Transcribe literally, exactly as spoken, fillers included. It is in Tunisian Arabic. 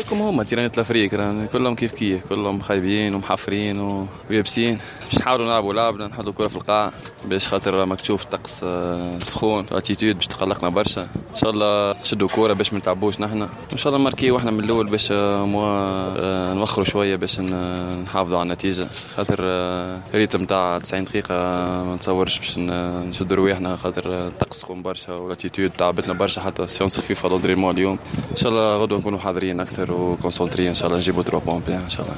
كيفكم هما terrain ات l'Afrique كلهم كيف كيف، كلهم خايبين ومحفرين ويابسين. باش نحاولوا نلعبوا لعبنا، نحطوا الكره في القاع باش خاطر ماك تشوف الطقس آه، سخون، l'altitude باش تقلقنا برشا. ان شاء الله نشدوا كورة باش ما نتعبوش نحن، ان شاء الله نماركيو احنا من الاول باش au moins آه، نوخروا شوية باش نحافظوا على النتيجه، خاطر rythme تاع تسعين دقيقة ما نتصورش باش نشدوا رواحنا، خاطر الطقس سخون برشا و l'altitude تعبتنا برشا، حتى séance خفيفة d'entraînement اليوم. ان شاء الله غدوه نكونوا حاضرين اكثر و concentrés، ان شاء الله نجيبوا trois points ان شاء الله.